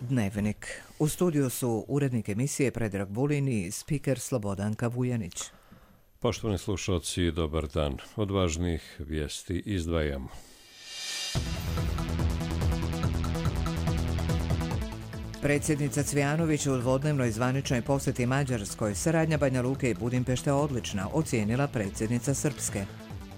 Dnevnik. U studiju su urednik emisije Predrag Vulin i spiker Slobodanka Vujanić. Poštovani slušalci, dobar dan. Od važnih vijesti izdvajamo. Predsjednica Cvijanović u dvodnevnoj zvaničnoj posjeti Mađarskoj. Saradnja Banja Luke i Budimpešte odlična, ocijenila predsjednica Srpske.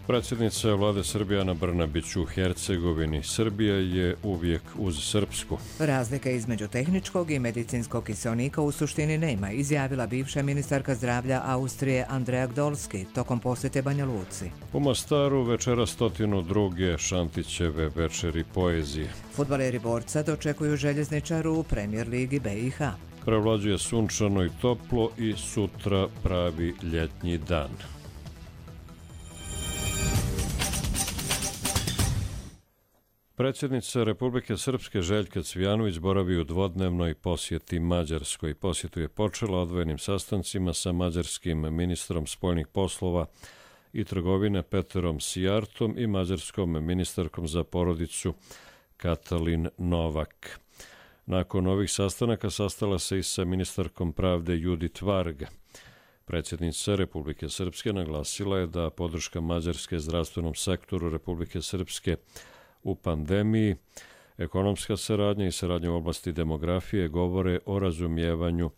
Predsjednica vlade Srbije Ana Brnabić u Hercegovini. Srbija je uvijek uz Srpsku. Razlika između tehničkog i medicinskog kiseonika u suštini nema, izjavila bivša ministarka zdravlja Austrije Andrea Gdolski tokom posjete Banja Luci. U Mostaru večera 102. Šantićeve večeri poezije. Fudbaleri Borca dočekuju Željezničaru u Premier ligi BiH. Prevlađuje sunčano i toplo i sutra pravi ljetnji dan. Predsjednica Republike Srpske Željka Cvijanović boravi u dvodnevnoj posjeti Mađarskoj. Posjetu je počela odvojenim sastancima sa mađarskim ministrom spoljnih poslova i trgovine Peterom Sijartom i mađarskom ministarkom za porodicu Katalin Novak. Nakon ovih sastanaka sastala se i sa ministarkom pravde Judit Varga. Predsjednica Republike Srpske naglasila je da podrška Mađarske zdravstvenom sektoru Republike Srpske u pandemiji, ekonomska saradnja i saradnja u oblasti demografije govore o razumijevanju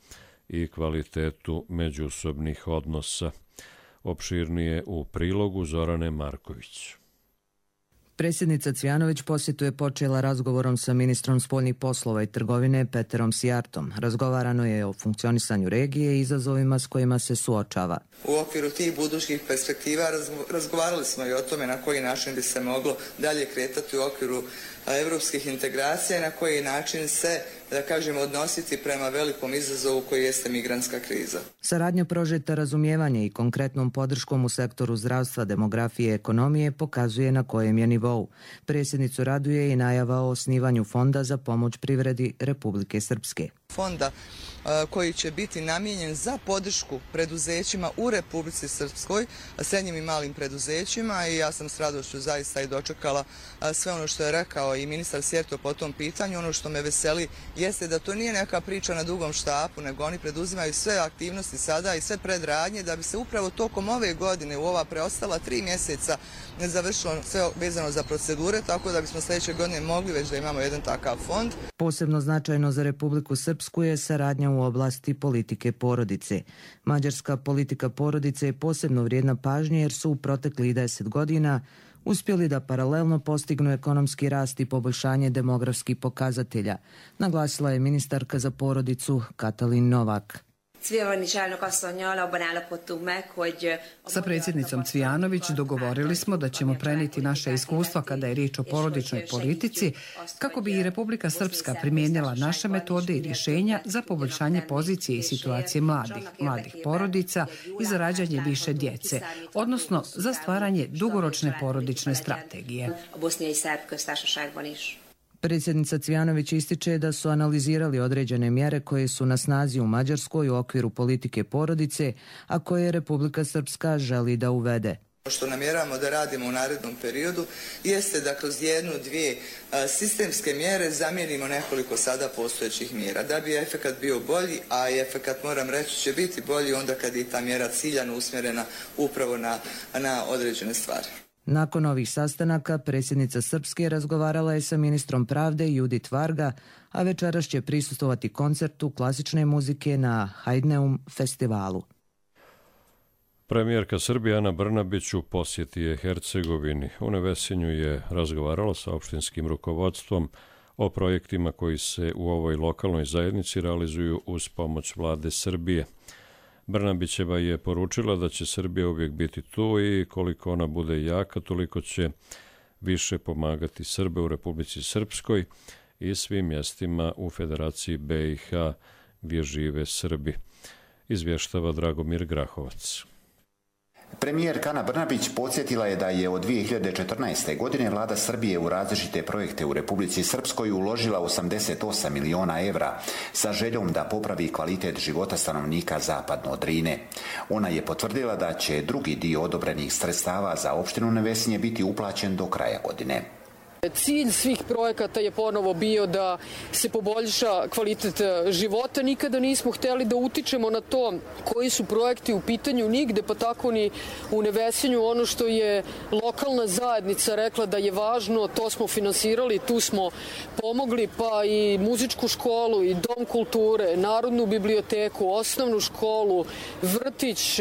i kvalitetu međusobnih odnosa. Opširnije u prilogu Zorane Marković. Predsjednica Cvijanović posjetu je počela razgovorom sa ministrom spoljnih poslova i trgovine Peterom Sijartom. Razgovarano je o funkcionisanju regije i izazovima s kojima se suočava. U okviru tih budućih perspektiva razgovarali smo i o tome na koji način bi se moglo dalje kretati u okviru evropskih integracija i na koji način se, da kažemo, odnositi prema velikom izazovu koji jeste migrantska kriza. Saradnja prožeta razumijevanje i konkretnom podrškom u sektoru zdravstva, demografije i ekonomije pokazuje na kojem je nivou. Predsjednicu raduje i najava o osnivanju fonda za pomoć privredi Republike Srpske. Fonda koji će biti namijenjen za podršku preduzećima u Republici Srpskoj, srednjim i malim preduzećima, i ja sam s radošću zaista i dočekala sve ono što je rekao i ministar Sjerto po tom pitanju. Ono što me veseli jeste da to nije neka priča na dugom štapu, nego oni preduzimaju sve aktivnosti sada i sve predradnje da bi se upravo tokom ove godine u ova preostala 3 mjeseca završilo sve vezano za procedure, tako da bismo sljedeće godine mogli već da imamo jedan takav fond. Posebno značajno za Republiku Srpsku je saradnja u oblasti politike porodice. Mađarska politika porodice je posebno vrijedna pažnje jer su u proteklih 10 godina uspjeli da paralelno postignu ekonomski rast i poboljšanje demografskih pokazatelja, naglasila je ministarka za porodicu Katalin Novak. Sa predsjednicom Cvijanović dogovorili smo da ćemo prenijeti naše iskustva kada je riječ o porodičnoj politici, kako bi i Republika Srpska primijenila naše metode i rješenja za poboljšanje pozicije i situacije mladih porodica i za rađanje više djece, odnosno za stvaranje dugoročne porodične strategije. Predsjednica Cvijanović ističe da su analizirali određene mjere koje su na snazi u Mađarskoj u okviru politike porodice, a koje Republika Srpska želi da uvede. Što namjeravamo da radimo u narednom periodu jeste da kroz 1-2 sistemske mjere zamijenimo nekoliko sada postojećih mjera. Da bi efekat bio bolji, a i efekat, moram reći, će biti bolji onda kad je ta mjera ciljano usmjerena upravo na određene stvari. Nakon ovih sastanaka, predsjednica Srpske razgovarala je sa ministrom pravde Judit Varga, a večeras će prisustvovati koncertu klasične muzike na Hajdneum festivalu. Premijerka Srbije Ana Brnabić u posjeti je Hercegovini. U Nevesinju je razgovarala sa opštinskim rukovodstvom o projektima koji se u ovoj lokalnoj zajednici realizuju uz pomoć vlade Srbije. Brnabićeva je poručila da će Srbija uvijek biti tu i koliko ona bude jaka, toliko će više pomagati Srbe u Republici Srpskoj i svim mjestima u Federaciji BiH gdje žive Srbi, izvještava Dragomir Grahovac. Premijerka Ana Brnabić podsjetila je da je od 2014. godine vlada Srbije u različite projekte u Republici Srpskoj uložila 88 miliona evra sa željom da popravi kvalitet života stanovnika zapadno od Drine. Ona je potvrdila da će drugi dio odobrenih sredstava za opštinu Nevesinje biti uplaćen do kraja godine. Cilj svih projekata je ponovo bio da se poboljša kvalitet života. Nikada nismo hteli da utičemo na to koji su projekti u pitanju nigde, pa tako ni u Nevesinju. Ono što je lokalna zajednica rekla da je važno, to smo finansirali, tu smo pomogli, pa i muzičku školu, i dom kulture, narodnu biblioteku, osnovnu školu, vrtić,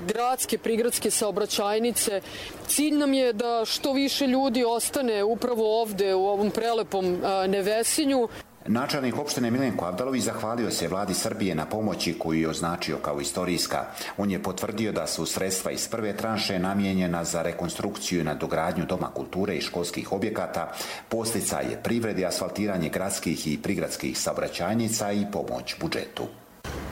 gradske, prigradske saobraćajnice. Cilj nam je da što više ljudi ostane upravo ovde u ovom prelepom Nevesinju. Načelnik opštine Milenko Avdalović zahvalio se vladi Srbije na pomoći koju je označio kao istorijska. On je potvrdio da su sredstva iz prve tranše namijenjena za rekonstrukciju i nadogradnju doma kulture i školskih objekata, podsticaje privredi, asfaltiranje gradskih i prigradskih saobraćajnica i pomoć budžetu.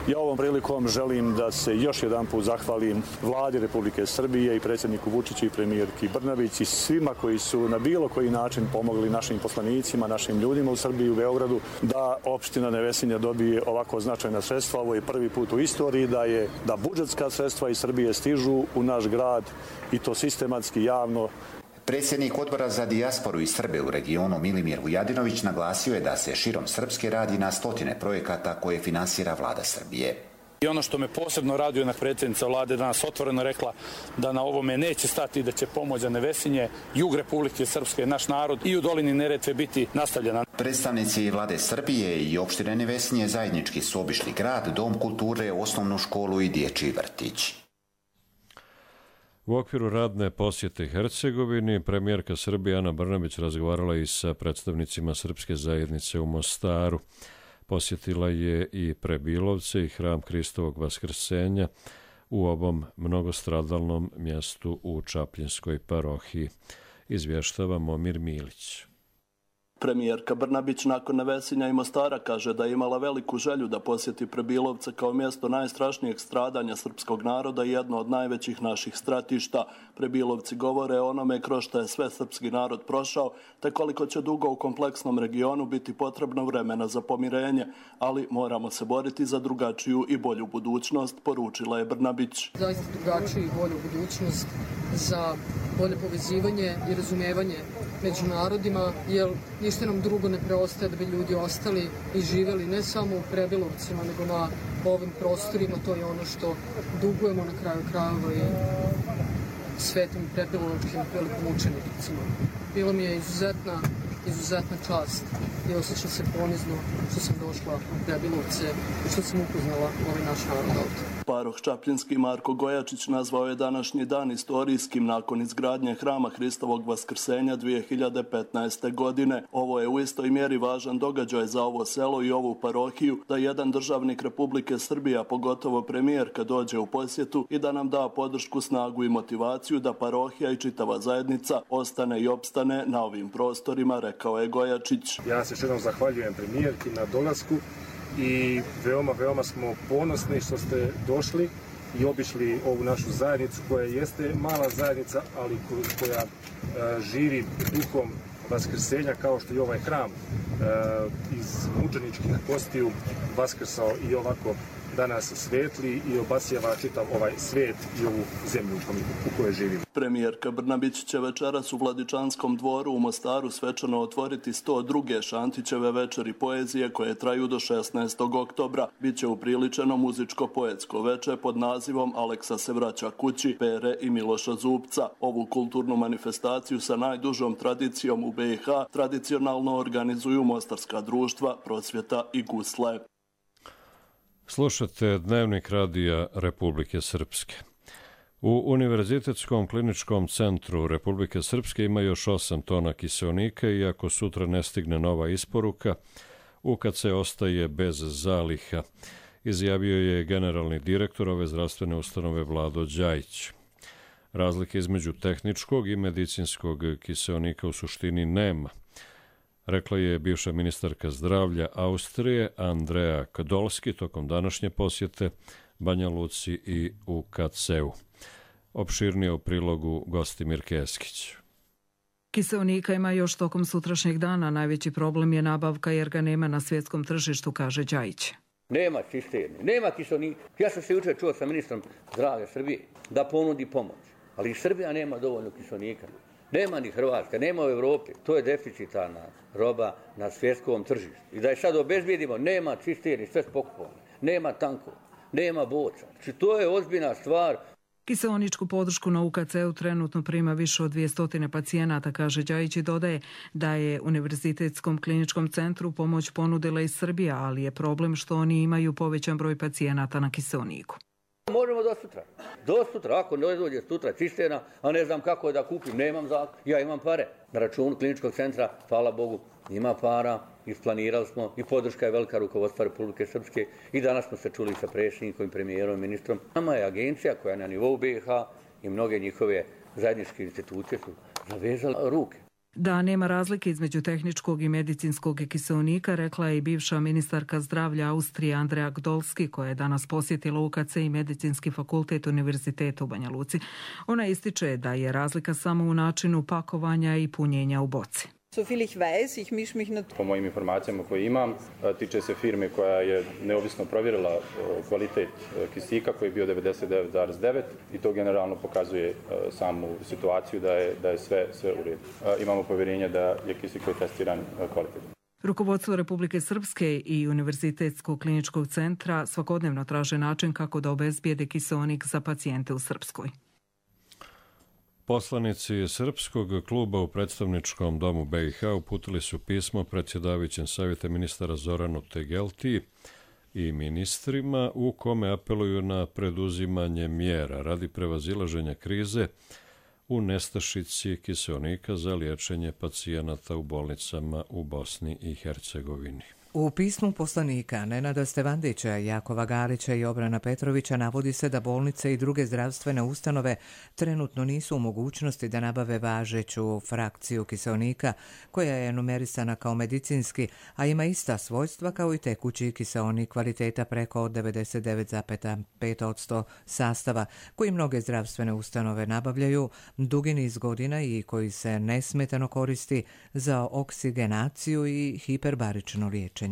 Ja ovom prilikom želim da se još jedan put zahvalim vladi Republike Srbije i predsjedniku Vučiću i premijerki Brnabić i svima koji su na bilo koji način pomogli našim poslanicima, našim ljudima u Srbiji, u Beogradu, da opština Nevesinja dobije ovako značajna sredstva. Ovo je prvi put u istoriji da budžetska sredstva iz Srbije stižu u naš grad i to sistematski, javno. Predsjednik odbora za dijasporu i Srbe u regionu Milimir Vujadinović naglasio je da se širom Srpske radi na stotine projekata koje finansira vlada Srbije. I ono što me posebno raduje, na predsjednica vlade danas otvoreno rekla da na ovome neće stati, da će pomoć za Nevesinje, jug Republike Srpske, naš narod i u dolini Neretve biti nastavljena. Predstavnici vlade Srbije i opštine Nevesinje zajednički su obišli grad, dom kulture, osnovnu školu i dječji vrtić. U okviru radne posjete Hercegovini, premijerka Srbije Ana Brnabić razgovarala i sa predstavnicima srpske zajednice u Mostaru. Posjetila je i Prebilovce i hram Hristovog Vaskrsenja u ovom mnogostradalnom mjestu u Čapljinskoj parohiji. Izvještava Momir Milić. Premijerka Brnabić nakon Nevesinja i Mostara kaže da je imala veliku želju da posjeti Prebilovce kao mjesto najstrašnijeg stradanja srpskog naroda i jedno od najvećih naših stratišta. Prebilovci govore o onome kroz što je sve srpski narod prošao, te koliko će dugo u kompleksnom regionu biti potrebno vremena za pomirenje, ali moramo se boriti za drugačiju i bolju budućnost, poručila je Brnabić. Zaista drugačiju i bolju budućnost, za bolje povezivanje i razumevanje među narodima, jer ništa nam drugo ne preostaje da bi ljudi ostali i živjeli ne samo u Prebilovcima, nego na ovim prostorima. To je ono što dugujemo na kraju krajeva i svetim prebilovčkim velikomučenicima. Bilo mi je izuzetna čast i osjećam se ponizno što sam došla u Prebilovce i što sam upoznala ovaj naš narod ovdje. Paroh Čapljinski Marko Gojačić nazvao je današnji dan istorijskim nakon izgradnje hrama Hristovog Vaskrsenja 2015. godine. Ovo je u istoj mjeri važan događaj za ovo selo i ovu parohiju, da jedan državnik Republike Srbije, a pogotovo premijerka, dođe u posjetu i da nam da podršku, snagu i motivaciju da parohija i čitava zajednica ostane i opstane na ovim prostorima, rekao je Gojačić. Ja se još jednom zahvaljujem premijerki na dolasku i veoma smo ponosni što ste došli i obišli ovu našu zajednicu koja jeste mala zajednica, ali koja živi duhom Vaskrsenja, kao što je ovaj hram iz mučeničkih kostiju vaskrsao i ovako danas svetli i obasjava čitav ovaj svijet i ovu zemlju u kojoj živimo. Premijerka Brnabić će večeras u Vladičanskom dvoru u Mostaru svečano otvoriti 102. Šantićeve večeri poezije koje traju do 16. oktobra. Biće upriličeno muzičko-poetsko veče pod nazivom Aleksa se vraća kući, Pere i Miloša Zupca. Ovu kulturnu manifestaciju sa najdužom tradicijom u BiH tradicionalno organizuju mostarska društva Prosvjeta i Gusle. Slušate Dnevnik radija Republike Srpske. U Univerzitetskom kliničkom centru Republike Srpske ima još 8 tona kiseonika i ako sutra ne stigne nova isporuka, UKC ostaje bez zaliha, izjavio je generalni direktor ove zdravstvene ustanove Vlado Đajić. Razlike između tehničkog i medicinskog kiseonika u suštini nema, rekla je bivša ministarka zdravlja Austrije Andrea Kadolski tokom današnje posjete Banja Luci i UKC-u. Opširnije u prilogu Gostimir Keskić. Kiseonika ima još tokom sutrašnjeg dana. Najveći problem je nabavka jer ga nema na svjetskom tržištu, kaže Đajić. Nema cisterni, nema kiseonika. Ja sam se jučer čuo sa ministrom zdravlja Srbije da ponudi pomoć, ali Srbija nema dovoljno kiseonika. Nema ni Hrvatska, nema u Evropi. To je deficitarna roba na svjetskom tržištu. I da je sad obezbijedimo, nema cisterni, sve pokupovane, nema tankova, nema boca. Znači, to je ozbiljna stvar. Kiseoničku podršku na UKC-u trenutno prima više od 200 pacijenata, kaže Đajić i dodaje da je Univerzitetskom kliničkom centru pomoć ponudila i Srbija, ali je problem što oni imaju povećan broj pacijenata na kiseoniku. Možemo do sutra. Do sutra, ako ne dođe sutra cisterna, a ne znam kako da kupim, nemam zakon. Ja imam pare. Na računu kliničkog centra, hvala Bogu, ima para, isplanirali smo i podrška je velika rukovodstva Republike Srpske i danas smo se čuli sa predsjednikom, premijerom i ministrom. Nama je agencija koja je na nivou BiH i mnoge njihove zajedničke institucije su zavezala ruke. Da nema razlike između tehničkog i medicinskog kiseonika, rekla je i bivša ministarka zdravlja Austrije Andrea Gdolski, koja je danas posjetila UKC i Medicinski fakultet Univerziteta u Banja Luci. Ona ističe da je razlika samo u načinu pakovanja i punjenja u boci. Po mojim informacijama koje imam, tiče se firme koja je neovisno provjerila kvalitet kisika koji je bio 99,9 i to generalno pokazuje samu situaciju da je sve u redu. Imamo povjerenje da je kisik koji je testiran kvalitetno. Rukovodstvo Republike Srpske i Univerzitetskog kliničkog centra svakodnevno traže način kako da obezbijede kiseonik za pacijente u Srpskoj. Poslanici Srpskog kluba u predstavničkom domu BiH uputili su pismo predsjedavajućem savjeta ministara Zoranu Tegelti i ministrima u kome apeluju na preduzimanje mjera radi prevazilaženja krize u nestašici kiseonika za liječenje pacijenata u bolnicama u Bosni i Hercegovini. U pismu poslanika Nenada Stevandića, Jakova Galića i Obrana Petrovića navodi se da bolnice i druge zdravstvene ustanove trenutno nisu u mogućnosti da nabave važeću frakciju kiseonika koja je numerisana kao medicinski, a ima ista svojstva kao i tekući kiseonik kvaliteta preko 99,5% sastava koji mnoge zdravstvene ustanove nabavljaju dugi niz godina i koji se nesmetano koristi za oksigenaciju i hiperbarično liječenje.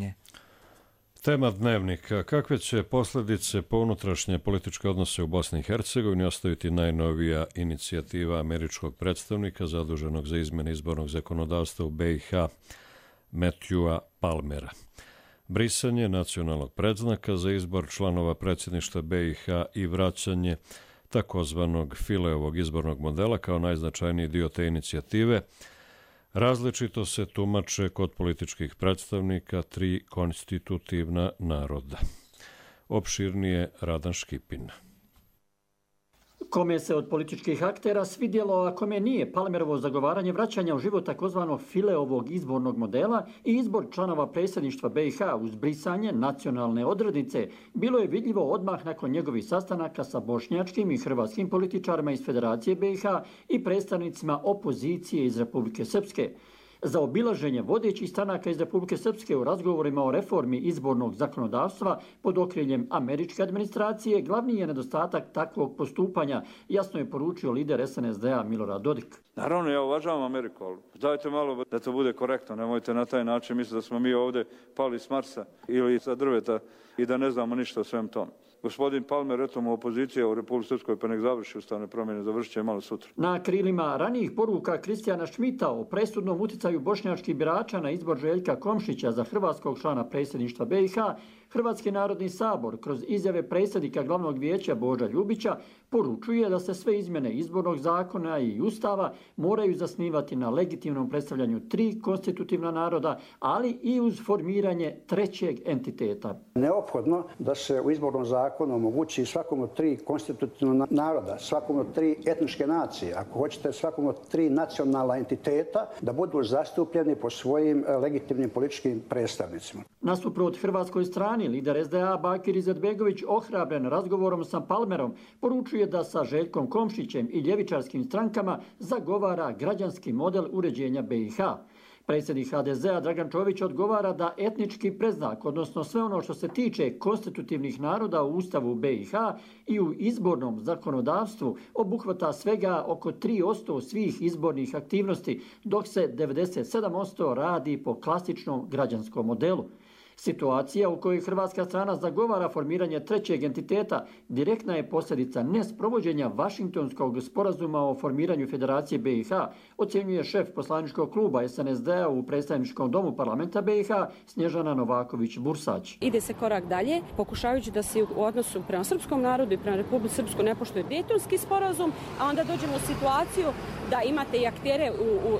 Tema dnevnika. Kakve će posljedice po unutrašnje političke odnose u Bosni i Hercegovini ostaviti najnovija inicijativa američkog predstavnika zaduženog za izmjene izbornog zakonodavstva u BiH Matthewa Palmera? Brisanje nacionalnog predznaka za izbor članova predsjedništva BiH i vraćanje takozvanog Fileovog izbornog modela kao najznačajniji dio te inicijative različito se tumače kod političkih predstavnika tri konstitutivna naroda. Opširnije Radan Škipin. Kome se od političkih aktera svidjelo, a kome nije Palmerovo zagovaranje vraćanja u život takozvanog Fileovog izbornog modela i izbor članova predsjedništva BiH uz brisanje nacionalne odrednice, bilo je vidljivo odmah nakon njegovih sastanaka sa bošnjačkim i hrvatskim političarima iz Federacije BiH i predstavnicima opozicije iz Republike Srpske. Za obilaženje vodećih stranaka iz Republike Srpske u razgovorima o reformi izbornog zakonodavstva pod okriljem američke administracije glavni je nedostatak takvog postupanja, jasno je poručio lider SNSD-a Milorad Dodik. Naravno, ja uvažavam Ameriku, ali dajte malo da to bude korektno, nemojte na taj način misliti da smo mi ovdje pali s Marsa ili sa drveta i da ne znamo ništa o svem tome. Gospodin Palmer, eto mu opozicija u Republike Srpskoj, pa nek završi ustavne promjene, završit će malo sutra. Na krilima ranijih poruka Kristijana Šmita o presudnom uticaju bošnjačkih birača na izbor Željka Komšića za hrvatskog člana predsjedništva BiH, Hrvatski narodni sabor kroz izjave predsjednika glavnog vijeća Boža Ljubića poručuje da se sve izmjene izbornog zakona i ustava moraju zasnivati na legitimnom predstavljanju tri konstitutivna naroda, ali i uz formiranje trećeg entiteta. Neophodno da se u izbornom zakonu omogući svakom od tri konstitutivna naroda, svakom od tri etničke nacije, ako hoćete svakom od tri nacionalna entiteta, da budu zastupljeni po svojim legitimnim političkim predstavnicima. Nasuprot hrvatskoj strani, lider SDA Bakir Izetbegović, ohrabren razgovorom sa Palmerom, poručuje da sa Željkom Komšićem i ljevičarskim strankama zagovara građanski model uređenja BiH. Predsjednik HDZ-a Dragan Čović odgovara da etnički predznak, odnosno sve ono što se tiče konstitutivnih naroda u Ustavu BiH i u izbornom zakonodavstvu, obuhvata svega oko 3% svih izbornih aktivnosti, dok se 97% radi po klasičnom građanskom modelu. Situacija u kojoj hrvatska strana zagovara formiranje trećeg entiteta direktna je posljedica nesprovođenja Vašingtonskog sporazuma o formiranju Federacije BiH, ocjenjuje šef poslaničkog kluba SNSD-a u predstavničkom domu parlamenta BiH Snježana Novaković-Bursać. Ide se korak dalje, pokušavajući da se u odnosu prema srpskom narodu i prema Republici Srpskoj ne poštuje Dejtonski sporazum, a onda dođemo u situaciju da imate i aktere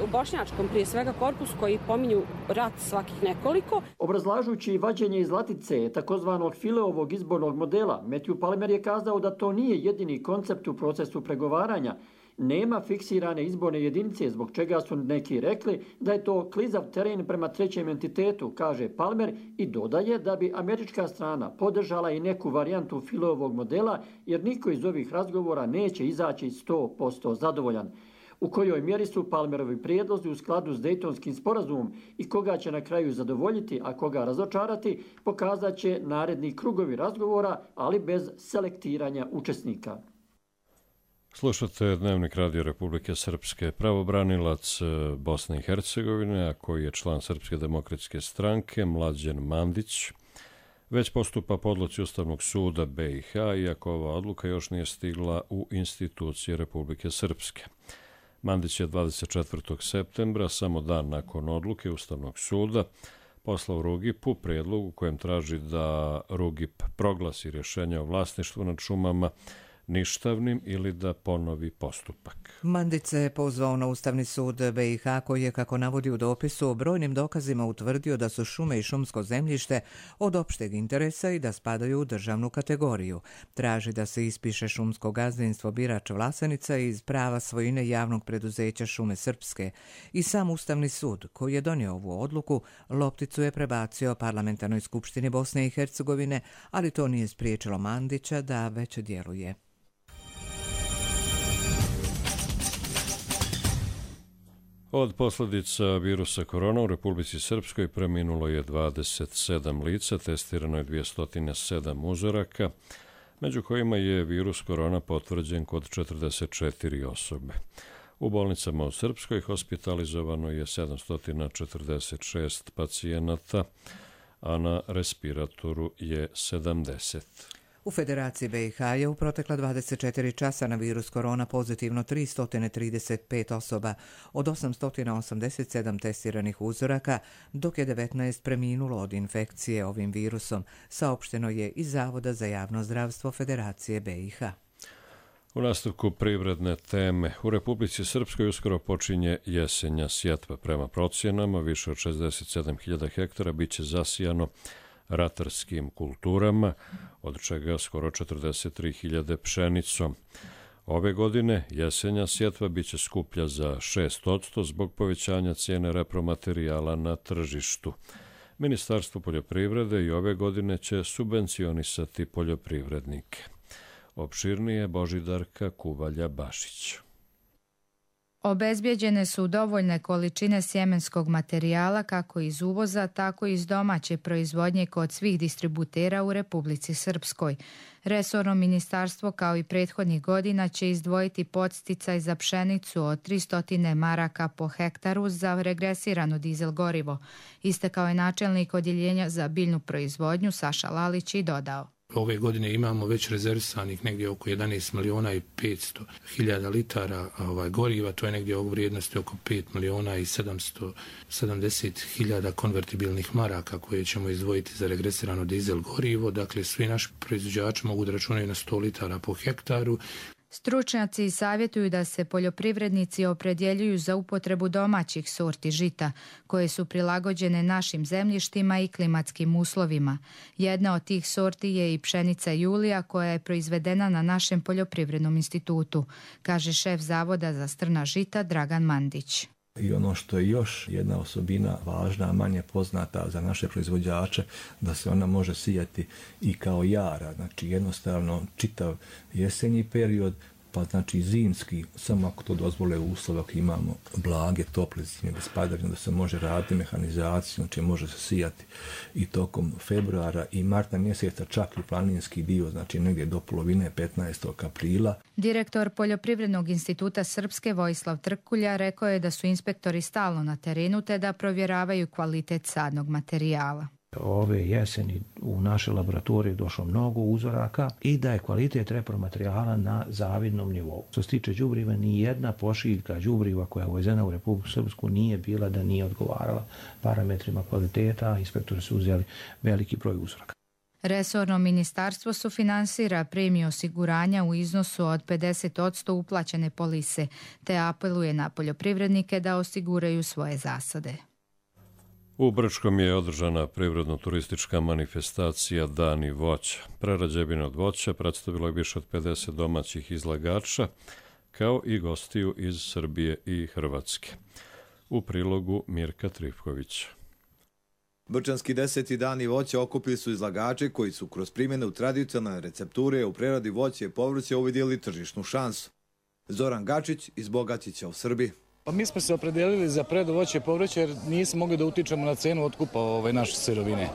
u bošnjačkom, prije svega korpusu, koji pominju rat svakih nekoliko. Obrazlažući vađenje iz latice takozvanog Fileovog izbornog modela, Matthew Palmer je kazao da to nije jedini koncept u procesu pregovaranja. Nema fiksirane izborne jedinice, zbog čega su neki rekli da je to klizav teren prema trećem entitetu, kaže Palmer, i dodaje da bi američka strana podržala i neku varijantu Fileovog modela, jer niko iz ovih razgovora neće izaći 100% zadovoljan. U kojoj mjeri su Palmerovi prijedlozi u skladu s Dejtonskim sporazumom i koga će na kraju zadovoljiti, a koga razočarati, pokazat će naredni krugovi razgovora, ali bez selektiranja učesnika. Slušate Dnevnik Radio Republike Srpske. Pravobranilac Bosne i Hercegovine, a koji je član Srpske demokratske stranke, Mlađan Mandić, već postupa po odluci Ustavnog suda BiH, iako ova odluka još nije stigla u institucije Republike Srpske. Mandić je 24. septembra, samo dan nakon odluke Ustavnog suda, poslao Rugipu prijedlog u kojem traži da Rugip proglasi rješenje o vlasništvu nad šumama ništavnim ili da ponovi postupak. Mandić se je pozvao na Ustavni sud BiH koji je, kako navodi u dopisu, brojnim dokazima utvrdio da su šume i šumsko zemljište od opšteg interesa i da spadaju u državnu kategoriju. Traži da se ispiše šumsko gazdinstvo Birač Vlasenica iz prava svojine javnog preduzeća Šume Srpske. I sam Ustavni sud, koji je donio ovu odluku, lopticu je prebacio Parlamentarnoj skupštini Bosne i Hercegovine, ali to nije spriječilo Mandića da već djeluje. Od posljedica virusa korona u Republici Srpskoj preminulo je 27 lica, testirano je 207 uzoraka, među kojima je virus korona potvrđen kod 44 osobe. U bolnicama u Srpskoj hospitalizovano je 746 pacijenata, a na respiratoru je 70. U Federaciji BiH je u protekla 24 časa na virus korona pozitivno 335 osoba od 887 testiranih uzoraka, dok je 19 preminulo od infekcije ovim virusom, saopšteno je iz Zavoda za javno zdravstvo Federacije BiH. U nastavku privredne teme, u Republici Srpskoj uskoro počinje jesenja sjetva. Prema procjenama, više od 67.000 hektara biće zasijano ratarskim kulturama, od čega skoro 43.000 pšenicom. Ove godine jesenja sjetva biće skuplja za 6% zbog povećanja cijene repromaterijala na tržištu. Ministarstvo poljoprivrede i ove godine će subvencionisati poljoprivrednike. Opširnije Božidarka Kuvalja-Bašić. Obezbjeđene su dovoljne količine sjemenskog materijala kako iz uvoza, tako i iz domaće proizvodnje kod svih distributera u Republici Srpskoj. Resorno ministarstvo, kao i prethodnih godina, će izdvojiti podsticaj za pšenicu od 300 maraka po hektaru za regresirano dizel gorivo. Istakao je načelnik odjeljenja za biljnu proizvodnju Saša Lalić i dodao: Ove godine imamo već rezervisanih negdje oko 11.500.000 litara goriva, to je negdje u vrijednosti oko 5.770.000 konvertibilnih maraka koje ćemo izdvojiti za regresirano dizel gorivo. Dakle, svi naši proizvođači mogu da računaju na 100 litara po hektaru. Stručnjaci savjetuju da se poljoprivrednici opredjeljuju za upotrebu domaćih sorti žita, koje su prilagođene našim zemljištima i klimatskim uslovima. Jedna od tih sorti je i pšenica Julija, koja je proizvedena na našem poljoprivrednom institutu, kaže šef Zavoda za strna žita Dragan Mandić. I ono što je još jedna osobina važna, manje poznata za naše proizvođače, da se ona može sijati i kao jara, znači jednostavno čitav jesenji period, pa znači zimski, samo ako to dozvole uslove, ako imamo blage, tople zime, bez padavina, da se može raditi mehanizaciju, znači može se sijati i tokom februara i marta mjeseca, čak i planinski dio, znači negdje do polovine 15. aprila. Direktor Poljoprivrednog instituta Srpske Vojislav Trkulja rekao je da su inspektori stalno na terenu te da provjeravaju kvalitet sadnog materijala. Ove jeseni u naše laboratorije došlo mnogo uzoraka i da je kvalitet repromaterijala na zavidnom nivou. Što se tiče đubriva, ni jedna pošiljka đubriva koja je uvezena u Republiku Srpsku nije bila da nije odgovarala parametrima kvaliteta. Inspektori su uzeli veliki broj uzoraka. Resorno ministarstvo sufinansira premiju osiguranja u iznosu od 50% uplaćene polise, te apeluje na poljoprivrednike da osiguraju svoje zasade. U Brčkom je održana privredno-turistička manifestacija Dani voća. Prerađevine od voća predstavilo je više od 50 domaćih izlagača, kao i gostiju iz Srbije i Hrvatske. U prilogu Mirka Trifkovića. Brčanski 10. dani voća okupili su izlagače koji su kroz primjenu tradicionalne recepture u preradi voća i povrća uvidjeli tržišnu šansu. Zoran Gačić iz Bogatića u Srbiji. Pa mi smo se opredelili za preradu voća i povrća jer nismo mogli da utičemo na cenu otkupa naše sirovine,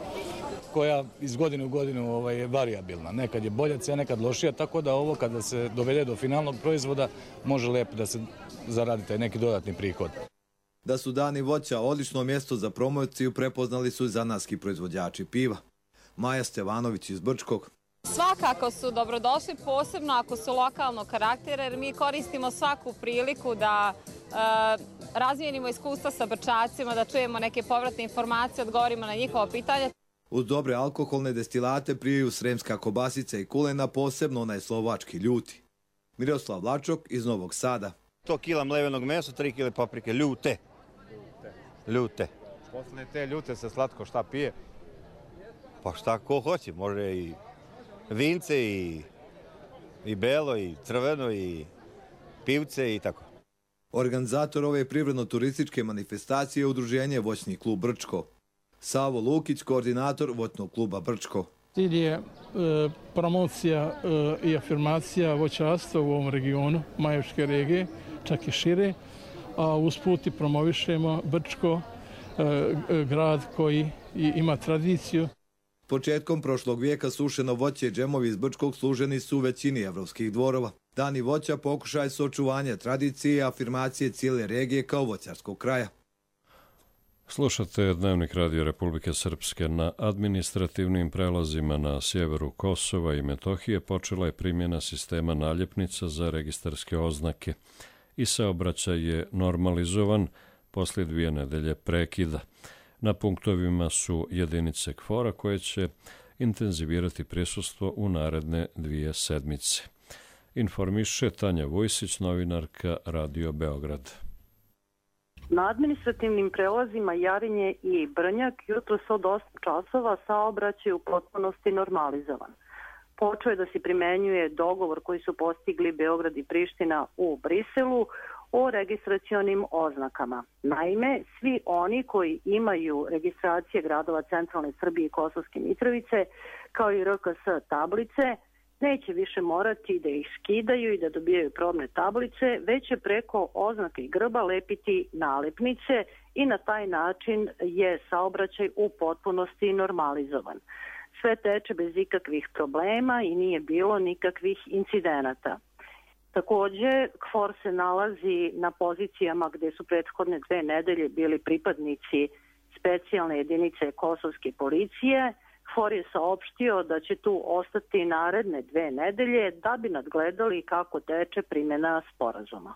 koja iz godine u godinu je varijabilna. Nekad je bolja cena, nekad lošija, tako da ovo kada se dovede do finalnog proizvoda može lepo da se zaradi taj neki dodatni prihod. Da su dani voća odlično mjesto za promociju prepoznali su i zanatski proizvođači piva. Maja Stevanović iz Brčkog. Svakako su dobrodošli, posebno ako su lokalnog karaktera, jer mi koristimo svaku priliku da razmijenimo iskustva sa Brčacima, da čujemo neke povratne informacije, odgovorimo na njihova pitanja. Uz dobre alkoholne destilate prijaju sremska kobasica i kulena, posebno onaj slovački ljuti. Miroslav Vlačok iz Novog Sada. 100 kila mlevenog mesa, 3 kile paprike, ljute. Posle te ljute se slatko šta pije? Pa šta ko hoće, može i vince, i belo, i crveno, i pivce i tako. Organizator ove privredno-turističke manifestacije je udruženje Voćni klub Brčko. Savo Lukić, koordinator Voćnog kluba Brčko. Cilj je promocija i afirmacija voćarstva u ovom regionu, Majevičke regije, čak i šire, a usput i promovišemo Brčko, grad koji ima tradiciju. Početkom prošlog vijeka sušeno voće i džemovi iz Brčkog služeni su u većini evropskih dvorova. Dani voća pokušaj su očuvanja tradicije i afirmacije cijele regije kao voćarskog kraja. Slušate Dnevnik Radio Republike Srpske. Na administrativnim prelazima na sjeveru Kosova i Metohije počela je primjena sistema naljepnica za registarske oznake i saobraćaj je normalizovan poslije 2 nedelje prekida. Na punktovima su jedinice KFOR-a koje će intenzivirati prisustvo u naredne 2 sedmice. Informiše Tanja Vujsić, novinarka Radio Beograd. Na administrativnim prelazima Jarinje i Brnjak jutros od 8 časova saobraćaj u potpunosti normalizovan. Počeo je da se primenjuje dogovor koji su postigli Beograd i Priština u Briselu o registracionim oznakama. Naime, svi oni koji imaju registracije gradova centralne Srbije i Kosovske Mitrovice, kao i RKS tablice, neće više morati da ih skidaju i da dobijaju probne tablice, već će preko oznake i grba lepiti nalepnice i na taj način je saobraćaj u potpunosti normalizovan. Sve teče bez ikakvih problema i nije bilo nikakvih incidenata. Također, KFOR se nalazi na pozicijama gdje su prethodne 2 nedelje bili pripadnici specijalne jedinice kosovske policije. KFOR je saopštio da će tu ostati naredne 2 nedelje da bi nadgledali kako teče primjena sporazuma.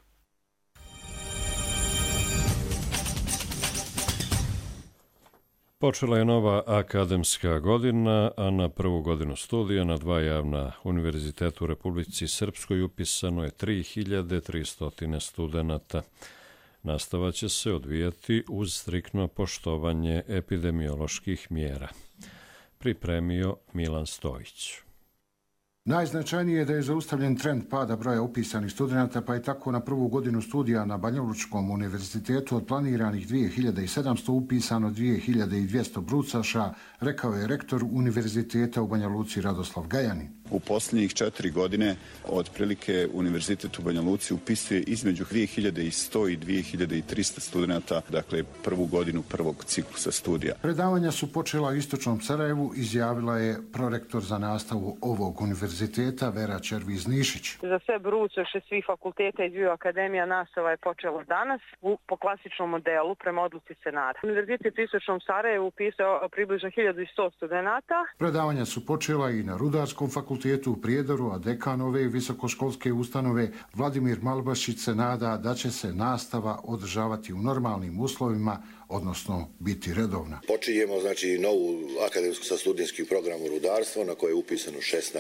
Počela je nova akademska godina, a na prvu godinu studija na 2 javna univerziteta u Republici Srpskoj upisano je 3300 studenata. Nastava će se odvijati uz striktno poštovanje epidemioloških mjera. Pripremio Milan Stojić. Najznačajnije je da je zaustavljen trend pada broja upisanih studenata, pa je tako na prvu godinu studija na Banjalučkom univerzitetu od planiranih 2700 upisano 2200 brucaša, rekao je rektor univerziteta u Banja Luci Radoslav Gajanin. U posljednjih 4 godine otprilike Univerzitet u Banja Luci upisuje između 2100 i 2300 studenata, dakle prvu godinu prvog ciklusa studija. Predavanja su počela u istočnom Sarajevu, izjavila je prorektor za nastavu ovog univerziteta Vera Červiz-Nišić. Za sve brucoše svih fakulteta i dviju akademija nastava je počela danas po klasičnom modelu prema odluci Senata. Univerzitet u istočnom Sarajevu upisao približno 1100 studenata. Predavanja su počela i na Rudarskom fakultetu u Prijedoru, a dekan ove visokoškolske ustanove Vladimir Malbašić se nada da će se nastava održavati u normalnim uslovima, odnosno biti redovna. Počinjemo novu akademsku sa studijskim programom rudarstva na koje je upisano 16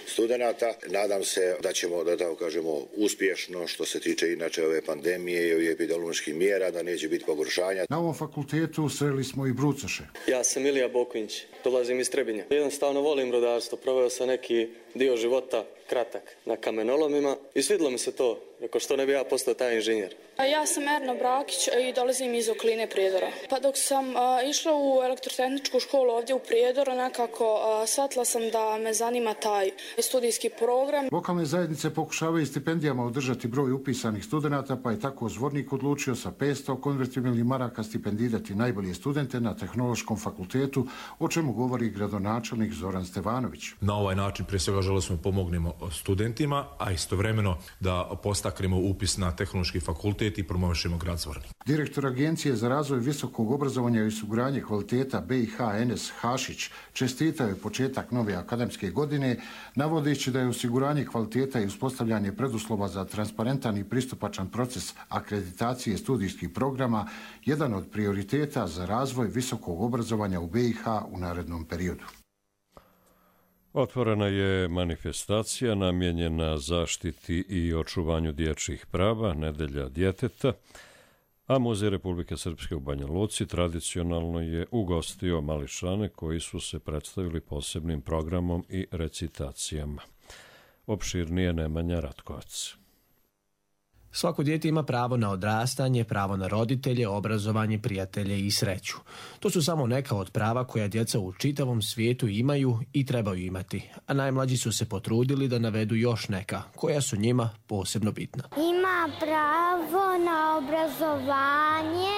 studenata. Nadam se da ćemo, da tako kažemo, uspješno što se tiče inače ove pandemije i epidemioloških mjera, da neće biti pogoršanja. Na ovom fakultetu sreli smo i brucoše. Ja sam Ilija Boković, dolazim iz Trebinja. Jednostavno volim rudarstvo, proveo sam neki dio života kratak na kamenolomima i svidilo mi se to, rekao što ne bi ja postao taj inženjer. Ja sam Erna Brakić i dolazim iz okoline Prijedora. Pa dok sam išla u elektrotehničku školu ovdje u Prijedoru, nekako shvatila sam da me zanima taj studijski program. Lokalne zajednice pokušavaju stipendijama održati broj upisanih studenata, pa je tako Zvornik odlučio sa 500 konvertibilnih maraka stipendirati najbolje studente na Tehnološkom fakultetu, o čemu govori gradonačelnik Zoran Stevanović. Na ovaj način prije svega želeli smo pomognemo studentima, a istovremeno da postaknemo upis na Tehnološki fakultet i promovišemo grad Zvornik. Direktor Agencije za razvoj visokog obrazovanja i osiguranje kvaliteta BiH Enes Hašić čestitao je početak nove akademske godine, navodeći da je osiguranje kvaliteta i uspostavljanje preduslova za transparentan i pristupačan proces akreditacije studijskih programa jedan od prioriteta za razvoj visokog obrazovanja u BiH u narednom periodu. Otvorena je manifestacija namijenjena zaštiti i očuvanju dječjih prava, Nedelja djeteta, a Muzej Republike Srpske u Banja Luci tradicionalno je ugostio mališane koji su se predstavili posebnim programom i recitacijama. Opširnije Nemanja Ratkovac. Svako dijete ima pravo na odrastanje, pravo na roditelje, obrazovanje, prijatelje i sreću. To su samo neka od prava koja djeca u čitavom svijetu imaju i trebaju imati, a najmlađi su se potrudili da navedu još neka, koja su njima posebno bitna. Ima pravo na obrazovanje,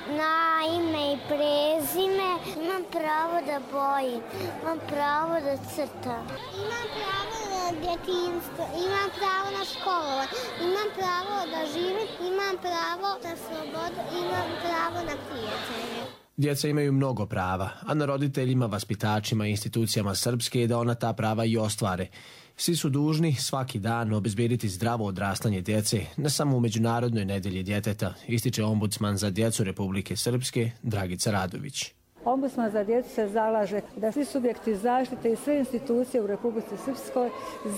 na ime i prezime, imam pravo da bojim, imam pravo da crtam. Imam pravo na djetinjstvo, imam pravo na školovanje, imam pravo da živim, imam pravo na slobodu, imam pravo na prijatelje. Djeca imaju mnogo prava, a na roditeljima, vaspitačima i institucijama Srpske je da ona ta prava i ostvare. Svi su dužni svaki dan obezbediti zdravo odrastanje djece, ne samo u Međunarodnoj nedelji djeteta, ističe ombudsman za djecu Republike Srpske Dragica Radović. Ombudsman za djecu se zalaže da svi subjekti zaštite i sve institucije u Republici Srpskoj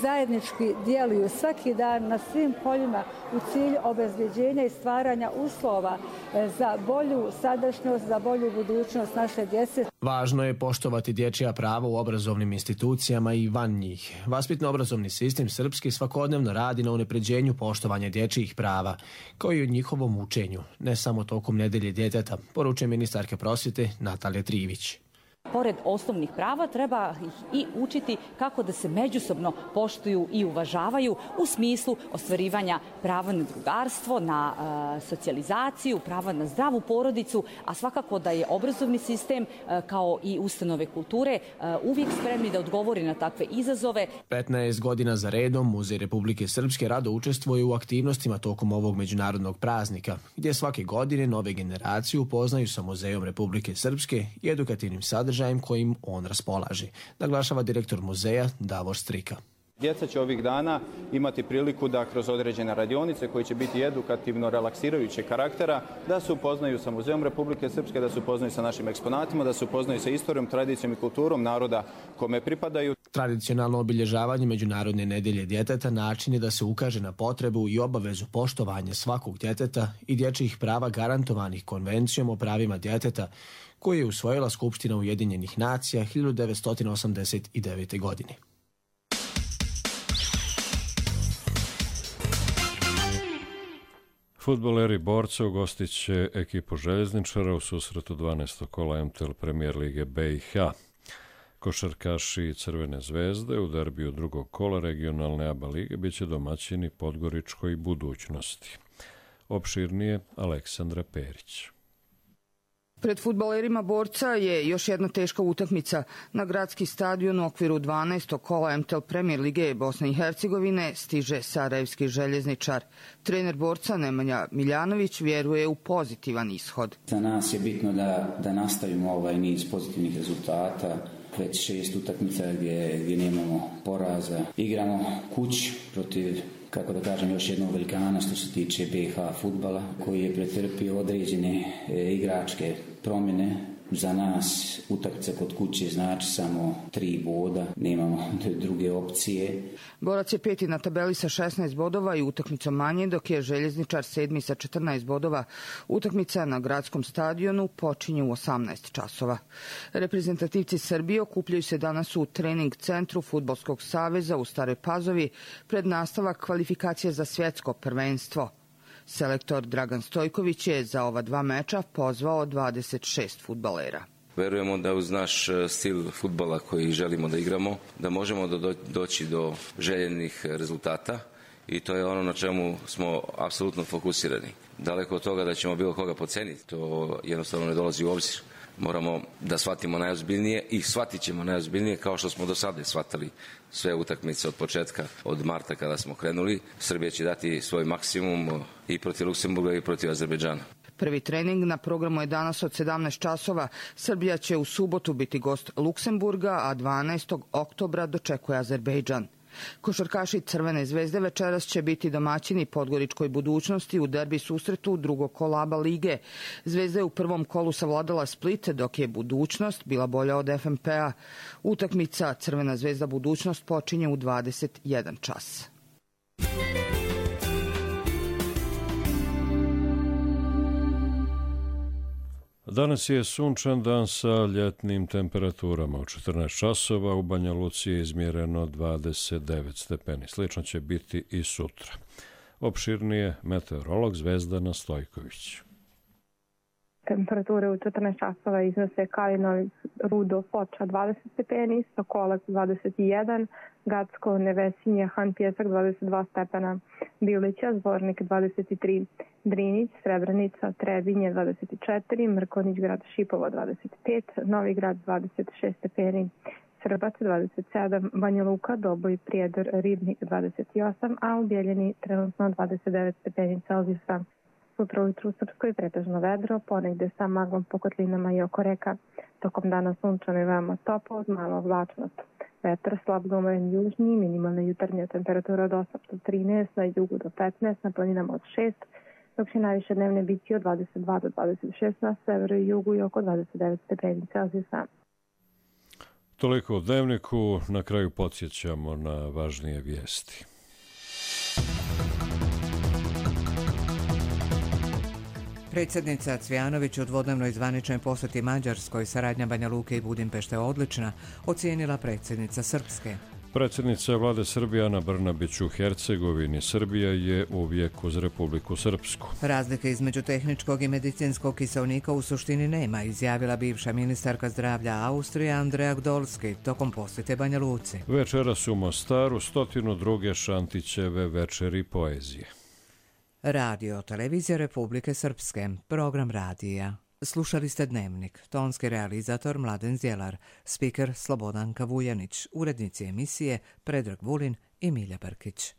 zajednički djeluju svaki dan na svim poljima u cilju obezbeđenja i stvaranja uslova za bolju sadašnjost, za bolju budućnost naše djece. Važno je poštovati dječja prava u obrazovnim institucijama i van njih. Vaspitno-obrazovni sistem Srpski svakodnevno radi na unapređenju poštovanja dječjih prava, kao i o njihovom učenju, ne samo tokom Nedelje djeteta, poručuje ministarka prosvjete Natalija Trivić. Pored osnovnih prava treba ih i učiti kako da se međusobno poštuju i uvažavaju u smislu ostvarivanja prava na drugarstvo, na socijalizaciju, prava na zdravu porodicu, a svakako da je obrazovni sistem kao i ustanove kulture uvijek spremni da odgovori na takve izazove. 15 godina za redom Muzej Republike Srpske rado učestvuje u aktivnostima tokom ovog međunarodnog praznika, gdje svake godine nove generacije upoznaju sa Muzejom Republike Srpske i edukativnim sadržajem kojim on raspolaže, naglašava direktor muzeja Davor Strika. Djeca će ovih dana imati priliku da kroz određene radionice koje će biti edukativno relaksirajućeg karaktera, da se upoznaju sa Muzejom Republike Srpske, da se upoznaju sa našim eksponatima, da se upoznaju sa istorijom, tradicijom i kulturom naroda kome pripadaju. Tradicionalno obilježavanje Međunarodne nedelje djeteta način je da se ukaže na potrebu i obavezu poštovanja svakog djeteta i dječjih prava garantovanih Konvencijom o pravima djeteta, koju je usvojila Skupština Ujedinjenih nacija 1989. godine. Fudbaleri Borca ugostit će ekipu željezničara u susretu 12. kola MTL Premier Lige BiH. Košarkaši Crvene zvezde u derbiju drugog kola regionalne ABA lige biće domaćini Podgoričkoj Budućnosti. Opširnije Aleksandra Perić. Pred fudbalerima Borca je još jedna teška utakmica. Na gradski stadion u okviru 12. kola MTL Premier lige Bosne i Hercegovine stiže sarajevski željezničar. Trener Borca Nemanja Miljanović vjeruje u pozitivan ishod. Za nas je bitno da nastavimo ovaj niz pozitivnih rezultata. Već 6 utakmica gdje nemamo poraza. Igramo kući protiv, kako da kažem, još jednog velikana što se tiče BiH fudbala, koji je pretrpio određene igračke promjene. Za nas utakmica kod kuće znači samo 3 boda, nemamo druge opcije. Borac je 5. na tabeli sa 16 bodova i utakmicom manje, dok je željezničar 7. sa 14 bodova. Utakmica na gradskom stadionu počinje u 18 časova. Reprezentativci Srbije okupljaju se danas u trening centru Fudbalskog saveza u Staroj Pazovi pred nastavak kvalifikacije za svjetsko prvenstvo. Selektor Dragan Stojković je za ova 2 meča pozvao 26 fudbalera. Verujemo da uz naš stil fudbala koji želimo da igramo, da možemo doći do željenih rezultata i to je ono na čemu smo apsolutno fokusirani. Daleko od toga da ćemo bilo koga podceniti, to jednostavno ne dolazi u obzir. Moramo da shvatimo najozbiljnije i shvatit ćemo najozbiljnije kao što smo do sada shvatali sve utakmice od početka, od marta kada smo krenuli. Srbija će dati svoj maksimum i protiv Luksemburga i protiv Azerbejdžana. Prvi trening na programu je danas od 17 časova. Srbija će u subotu biti gost Luksemburga, a 12. oktobra dočekuje Azerbejdžan. Košarkaši Crvene zvezde večeras će biti domaćini Podgoričkoj Budućnosti u derbi susretu drugog kola ABA lige. Zvezda je u prvom kolu savladala Split, dok je Budućnost bila bolja od FNP-a. Utakmica Crvena zvezda Budućnost počinje u 21 čas. Danas je sunčan dan sa ljetnim temperaturama. U 14 časova u Banja Luci je izmjereno 29 stepeni. Slično će biti i sutra. Opširnije meteorolog Zvezdana Stojković. Temperature u 14 časova iznose Kalinov, Rudo, Foča 20 stepeni, Sokolac 21, Gacko, Nevesinje, Han Pjesak 22 stepena, Bilića, Zvornik 23, Drinić, Srebrenica, Trebinje 24, Mrkonić grad Šipovo 25, Novi grad 26 stepeni, Srbac 27, Banja Luka, Doboj, Prijedor, Ribnik 28, a u Bijeljini trenutno 29 stepeni Celzijusa. Sutra ujutru u Srpskoj pretežno vedro, ponegde sa maglom po kotlinama i oko reka. Tokom dana sunčano i veoma toplo uz malo oblačnost. Vetar slab do umeren južnji, minimalna jutarnja temperatura od 8 do 13, na jugu do 15, na planinama od 6, dok će najviše dnevne biti od 22 do 26 na severu i jugu i oko 29 stepeni Celzijusa. Toliko u dnevniku, na kraju podsjećamo na važnije vijesti. Predsjednica Cvijanović u dvodnevnoj zvaničnoj posjeti Mađarskoj, saradnja Banja Luke i Budimpešte odlična, ocijenila predsjednica Srpske. Predsjednica vlade Srbije Ana Brnabić u Hercegovini. Srbija je uvijek uz Republiku Srpsku. Razlike između tehničkog i medicinskog kiseonika u suštini nema, izjavila bivša ministarka zdravlja Austrije Andrea Gdolski tokom posjete Banja Luci. Večeras u Mostaru 102. Šantićeve večeri poezije. Radio Televizija Republike Srpske, program radija. Slušali ste Dnevnik, tonski realizator Mladen Zjelar, spiker Slobodanka Vujanić, urednici emisije Predrag Vulin i Milja Brkić.